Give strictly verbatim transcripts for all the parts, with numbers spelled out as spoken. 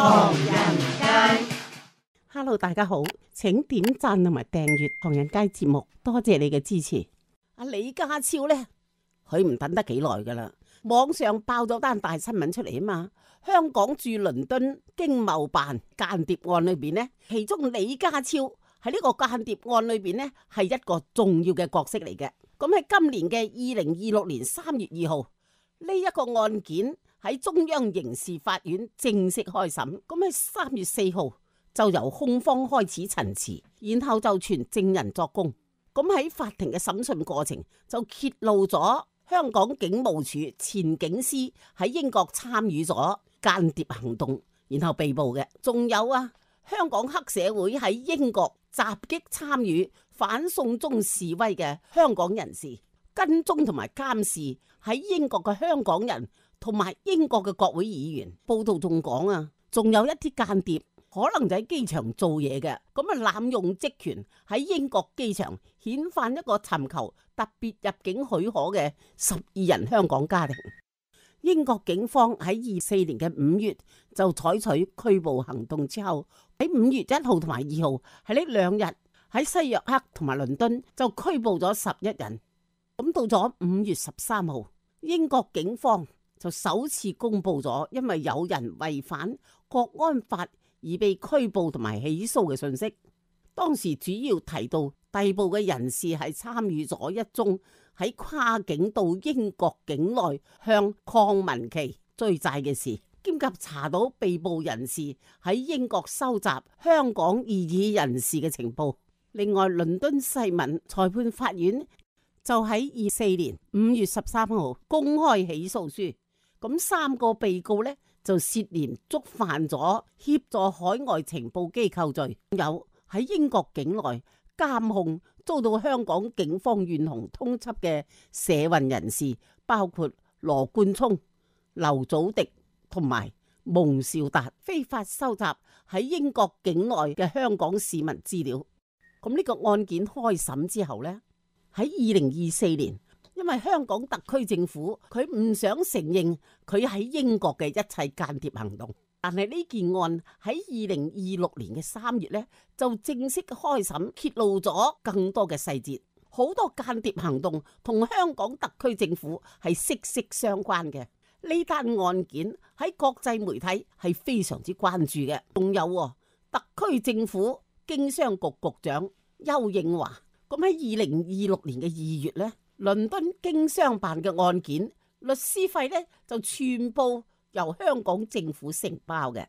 唐人街。Hello， 大家好，請點讚同埋訂閱唐人街節目，多謝你嘅支持。阿李家超呢，佢唔等得幾耐噶啦，網上爆咗單大新聞出嚟啊嘛。香港駐倫敦經貿辦間諜案裏邊呢，其中李家超喺呢個間諜案裏邊呢，係一個重要嘅角色嚟嘅。咁喺今年嘅二零二六年三月二號，呢一個案件喺中央刑事法院正式開審。咁喺三月四號就由控方開始陳詞，然後就傳證人作供。咁喺法庭嘅審訊過程就揭露咗香港警務處前警司喺英國參與咗間諜行動，然後被捕嘅。仲有啊，香港黑社會喺英國襲擊參與反送中示威嘅香港人士，跟蹤同埋監視喺英國嘅香港人同埋英國嘅國會議員。報道仲講啊，仲有一啲間諜可能就喺機場做嘢嘅，咁啊濫用職權喺英國機場遣返一個尋求特別入境許可嘅十二人香港家庭。英國警方喺二四年嘅五月就採取拘捕行動之後，喺五月一號同埋二號喺呢兩日喺西約克同埋倫敦就拘捕咗十一人。咁到咗五月十三號，英國警方就首次公布咗因為有人違反國安法而被拘捕同埋起訴嘅信息。當時主要提到逮捕嘅人士係參與咗一宗喺跨境到英國境內向鄺民琪追債嘅事，兼及查到被捕人士喺英國收集香港異議人士嘅情報。另外，倫敦西敏裁判法院就喺二四年五月十三號公開起訴書，咁三個被告呢，就涉嫌觸犯咗協助海外情報機構罪，有喺英國境內監控遭到香港警方懸紅通緝嘅社運人士，包括羅冠聰、劉祖迪同埋蒙兆達，非法收集喺英國境內嘅香港市民資料。咁呢個案件開審之後呢，喺二零二四年，因為香港特區政府佢唔想承認佢喺英國嘅一切間諜行動，但係呢件案喺二零二六年嘅三月呢，就正式開審，揭露咗更多嘅細節。好多間諜行動同香港特區政府係息息相關嘅。呢單案件喺國際媒體係非常之關注嘅。仲有特區政府經商局局長丘應樺，咁喺二零二六年嘅二月呢，倫敦經商辦嘅案件律師費呢就全部由香港政府承包嘅。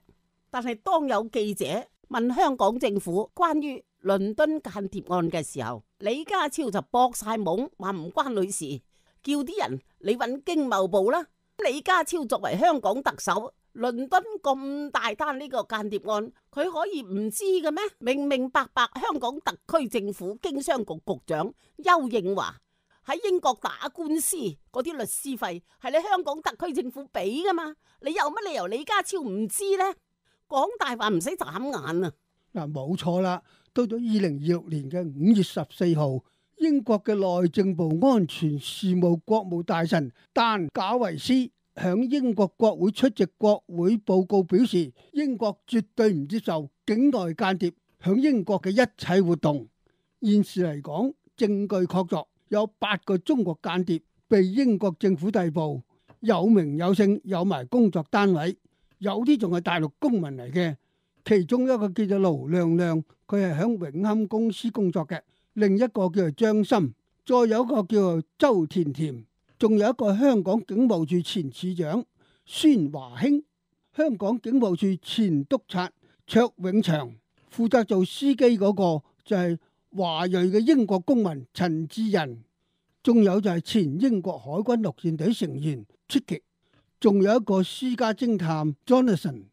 但係當有記者問香港政府關於倫敦間諜案嘅時候，李家超就駁晒懵，話唔關女事，叫啲人你揾經貿部啦。李家超作為香港特首，倫敦咁大單呢個間諜案，佢可以唔知嘅咩？明明白白香港特區政府經商局局長丘應樺喺英國打官司嗰啲律師費係你香港特區政府俾噶嘛？你有乜理由李家超唔知呢？講大話唔使眨眼啊！嗱，冇錯啦。到咗二零二六年嘅五月十四號，英國嘅內政部安全事務國務大臣丹賈維斯響英國國會出席國會報告表示，英國絕對唔接受境內間諜響英國嘅一切活動。現時嚟講，證據確鑿，有八個中國間諜被英國政府逮捕，有名有姓，有埋工作單位，有啲仲係大陸公民嚟嘅。其中一個叫做盧亮亮，佢係響永亨公司工作嘅；另一個叫做張森，再有一個叫做周甜甜，仲有一個香港警務處前處長孫華興，香港警務處前督察卓永祥，負責做司機嗰個就係華裔嘅英國公民陳志仁，仲有就係前英國海軍陸戰隊成員 Tricky， 仲有一個私家偵探 Jonathan，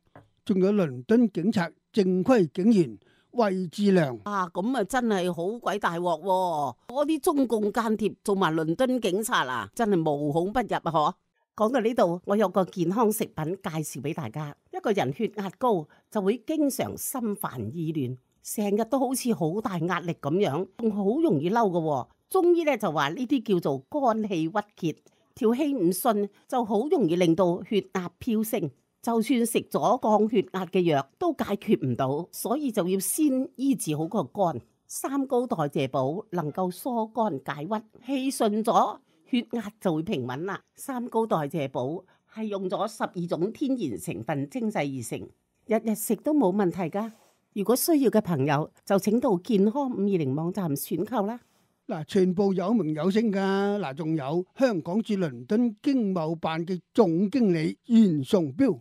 仲有倫敦警察正規警員魏志良。啊，咁啊真係好鬼大鑊喎！嗰啲中共間諜做埋倫敦警察啊，真係無孔不入啊！嗬。講到呢度，我有個健康食品介紹俾大家。一個人血壓高就會經常心煩意亂，成日都好似好大壓力咁樣，仲好容易嬲㗎。中醫咧就話呢啲叫做肝氣鬱結，條氣唔順就好容易令到血壓飆升。就算食咗降血壓嘅藥都解決唔到，所以就要先醫治好個肝。三高代謝補能夠疏肝解鬱，氣順咗，血壓就會平穩啦。三高代謝補係用咗十二種天然成分精製而成，日日食都冇問題噶。如果需要嘅朋友就請到健康五二零網站選購啦。嗱，全部有名有姓噶，嗱，仲有香港駐倫敦經貿辦嘅總經理袁崇標，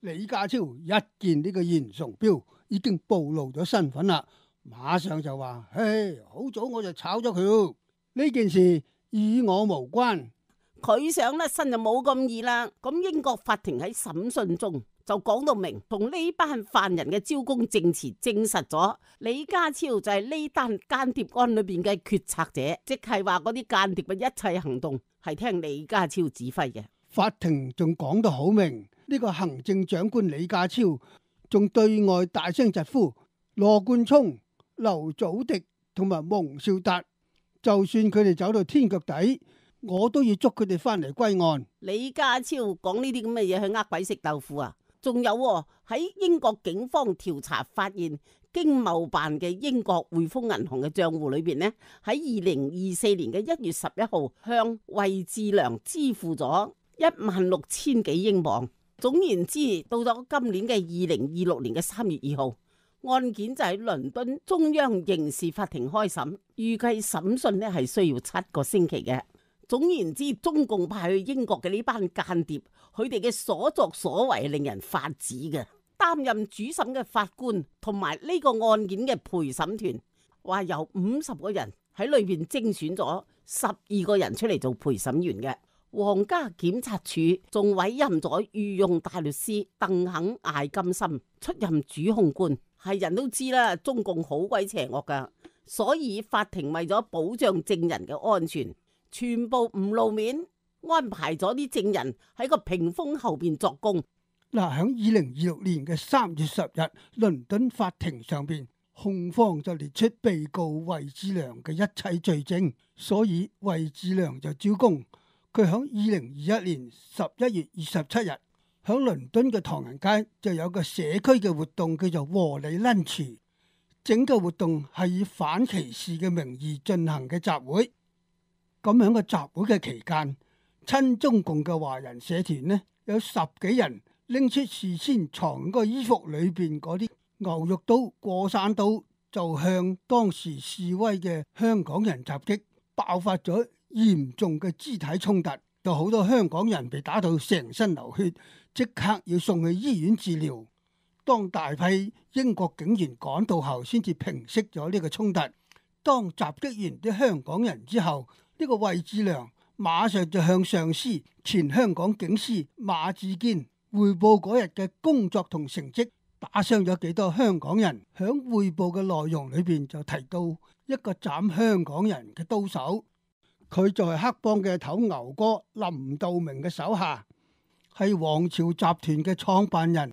李家超一見呢個袁崇標已經暴露咗身份啦，馬上就話：嘿，好早我就炒咗佢，呢件事與我無關。佢想甩身就冇咁易啦。咁英國法庭喺審訊中就講到明，同呢班犯人嘅招供證詞證實咗李家超就係呢單間諜案裏邊嘅決策者，即係話嗰啲間諜嘅一切行動係聽李家超指揮嘅。法庭仲講得好明，呢個行政長官李家超仲對外大聲疾呼羅冠聰、劉祖迪同埋蒙兆達，就算佢哋走到天腳底，我都要捉佢哋翻嚟歸案。李家超講呢啲咁嘅嘢去呃鬼食豆腐啊！仲有喺英國警方調查發現，經貿辦嘅英國匯豐銀行嘅賬戶裏邊呢，喺二零二四年嘅一月十一號向惠智良支付咗一萬六千幾英鎊。總言之，到咗今年嘅二零二六年嘅三月二號，案件就喺倫敦中央刑事法庭開審，預計審訊呢係需要七個星期嘅。總言之，中共派去英國嘅呢班間諜，佢哋嘅所作所為係令人髮指嘅。擔任主審嘅法官同埋呢個案件嘅陪審團，話由五十個人喺裏邊精選咗十二個人出嚟做陪審員嘅。皇家檢察署仲委任咗御用大律師鄧肯艾金森出任主控官。係人都知啦，中共好鬼邪惡噶，所以法庭為咗保障證人嘅安全，全部唔露面，安排咗啲證人喺個屏風後邊作供。嗱，喺二零二六年嘅三月十日，倫敦法庭上邊，控方就列出被告惠智良嘅一切罪證，所以惠智良就招供。佢喺二零二一年十一月二十七日，喺倫敦嘅唐人街就有個社區嘅活動叫做和理 lunch， 整個活動係以反歧視嘅名義進行嘅集會。咁喺個集會嘅期間，親中共嘅華人社團呢，有十幾人拎出事先藏喺個衣服裏邊嗰啲牛肉刀、過山刀，就向當時示威嘅香港人襲擊，爆發咗嚴重嘅肢體衝突，有好多香港人被打到成身流血，即刻要送去醫院治療。當大批英國警員趕到後，先至平息咗呢個衝突。當襲擊完啲香港人之後，呢個惠智良馬上就向上司前香港警司馬志堅匯報嗰日嘅工作同成績，打傷咗幾多香港人。響匯報嘅內容裏邊就提到一個斬香港人嘅刀手，佢就係黑幫嘅頭牛哥林道明嘅手下，係皇朝集團嘅創辦人，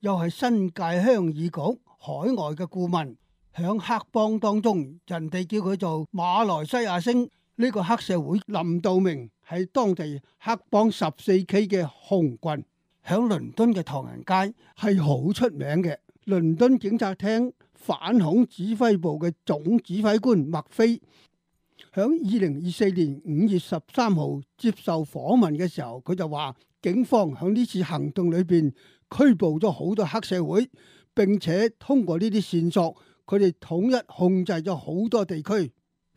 又係新界鄉議局海外嘅顧問。響黑幫當中，人哋叫佢做馬來西亞星。呢個黑社會林道明係當地黑幫十四 K 嘅紅棍，響倫敦嘅唐人街係好出名嘅。倫敦警察廳反恐指揮部嘅總指揮官麥菲響二零二四年五月十三號接受訪問嘅時候，佢就話警方響呢次行動裏邊拘捕咗好多黑社會，並且通過呢啲線索，佢哋統一控制咗好多地區。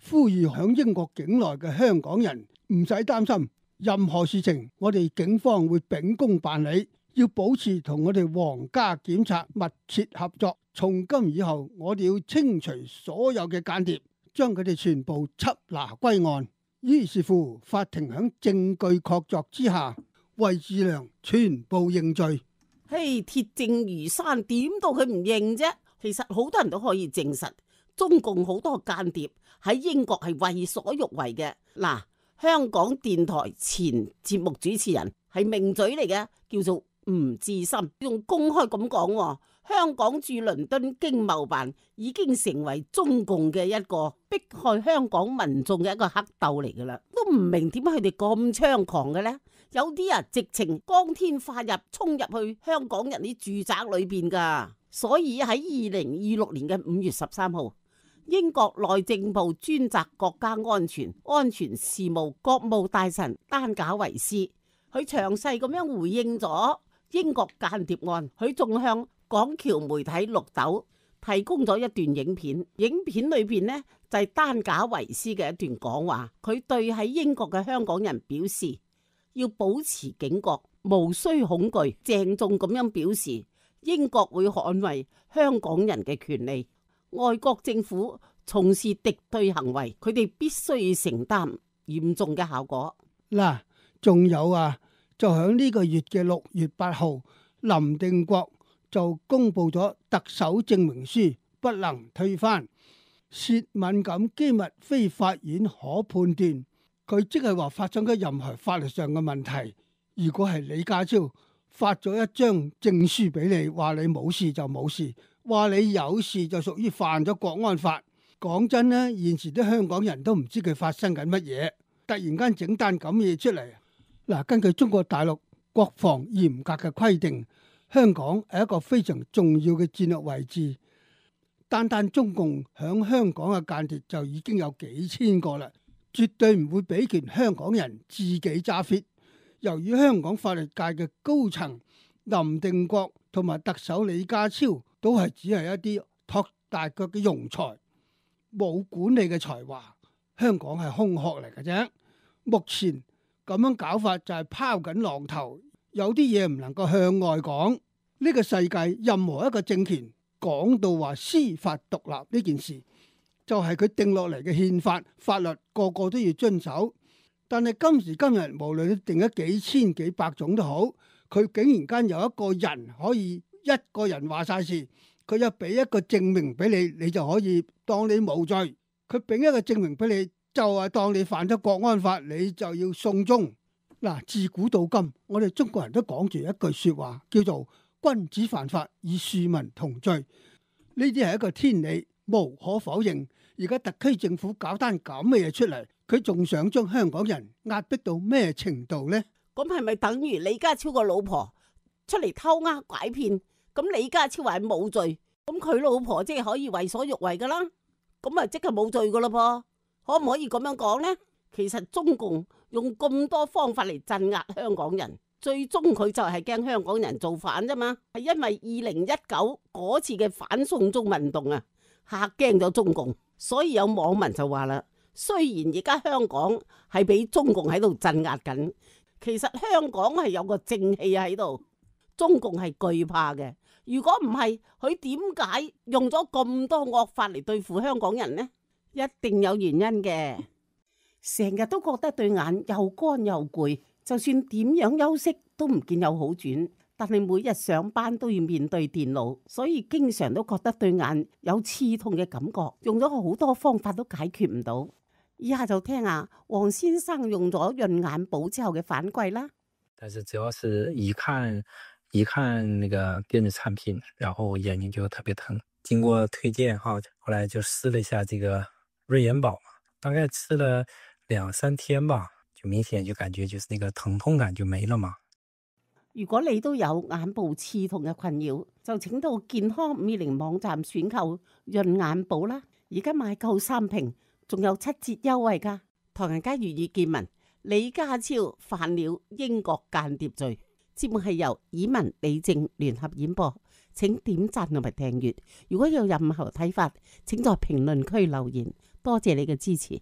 呼籲響英國境內嘅香港人唔使擔心，任何事情我哋警方會秉公辦理，要保持同我哋皇家檢察密切合作。從今以後，我哋要清除所有嘅間諜，將佢哋全部緝拿歸案。於是乎，法庭響證據確鑿之下，惠智良全部認罪。嘿，鐵證如山，點到佢唔認啫？其實好多人都可以證實，中共好多間諜喺英國係為所欲為嘅。嗱，香港電台前節目主持人係名嘴嚟嘅，叫做吳志森，仲公開咁講，香港駐倫敦經貿辦已經成為中共嘅一個迫害香港民眾嘅一個黑竇嚟噶啦，都唔明點解佢哋咁猖狂嘅呢？有啲啊直情光天化日衝入去香港人啲住宅裏邊噶。所以喺二零二六年嘅五月十三號，英國內政部專責國家安全安全事務國務大臣丹賈維斯，佢詳細咁樣回應咗英國間諜案，佢仲向港僑媒體綠豆提供咗一段影片，影片裏邊呢，就係丹賈維斯嘅一段講話，佢對喺英國嘅香港人表示要保持警覺，無需恐懼，鄭重咁樣表示英國會捍衛香港人嘅權利。外國政府從事敵對行為，佢哋必須要承擔嚴重嘅效果。嗱，仲有啊，就喺呢個月嘅六月八號，林定國就公布咗特首證明書不能推翻，涉敏感機密非法院可判斷。佢即係話發生咗任何法律上嘅問題，如果係李家超發咗一張證書俾你，話你冇事就冇事，話你有事就屬於犯咗國安法。講真呢，現時啲香港人都唔知佢發生緊乜嘢，突然間整單咁嘢出嚟。嗱，根據中國大陸國防嚴格嘅規定，香港係一個非常重要嘅戰略位置，單單中共響香港嘅間諜就已經有幾千個啦，絕對唔會俾權香港人自己揸 fit。由於香港法律界嘅高層林定國同埋特首李家超都係只係一啲托大腳嘅庸才，冇管理嘅才華，香港係空殼嚟嘅啫。目前咁樣搞法就係拋緊浪頭，有啲嘢唔能夠向外講。呢個世界任何一個政權講到話司法獨立呢件事，就係佢定落嚟嘅憲法法律，個個都要遵守。但係今時今日，無論你定咗幾千幾百種都好，佢竟然間有一個人可以一個人話晒事，佢又俾一個證明俾你，你就可以當你無罪。佢俾一個證明俾你，就係當你犯咗國安法，你就要送中。嗱，自古到今，我哋中國人都講住一句說話，叫做君子犯法與庶民同罪。呢啲係一個天理，無可否認。而家特區政府搞單咁嘅嘢出嚟，佢仲想將香港人壓迫到咩程度呢？咁係咪等於李家超個老婆出嚟偷呃拐騙？咁李家超話係冇罪，咁佢老婆即係可以為所欲為噶啦？咁啊即係冇罪噶啦噃？可唔可以咁樣講呢？其實中共用咁多方法嚟鎮壓香港人，最終佢就係驚香港人造反啫嘛。係因為二零一九嗰次嘅反送中運動啊，嚇驚咗中共。所以有網民就話啦，雖然而家香港係俾中共喺度鎮壓緊，其實香港係有個正氣喺度，中共係懼怕嘅。如果唔係，佢點解用咗咁多惡法嚟對付香港人呢？一定有原因嘅。成日都覺得對眼又乾又攰，就算點樣休息都唔見有好轉。但係每日上班都要面對電腦，所以經常都覺得對眼有刺痛嘅感覺，用咗好多方法都解決唔到。以下就聽下黃先生用咗潤眼寶之後嘅反饋啦。但是主要是一看一看那個電子產品，然後眼睛就特別疼。經過推薦哈，後來就試了一下這個潤眼寶嘛，大概吃了兩三天吧，就明顯就感覺就是那個疼痛感就沒了嘛。如果你都有眼部刺痛嘅困擾，就請到健康五二零網站選購潤眼寶啦！而家買夠三瓶，仲有七折優惠噶。唐人街粵語見聞，李家超犯了英國間諜罪。節目係由以文、李靜聯合演播，請點讚同埋訂閱。如果有任何睇法，請在評論區留言。多謝你嘅支持。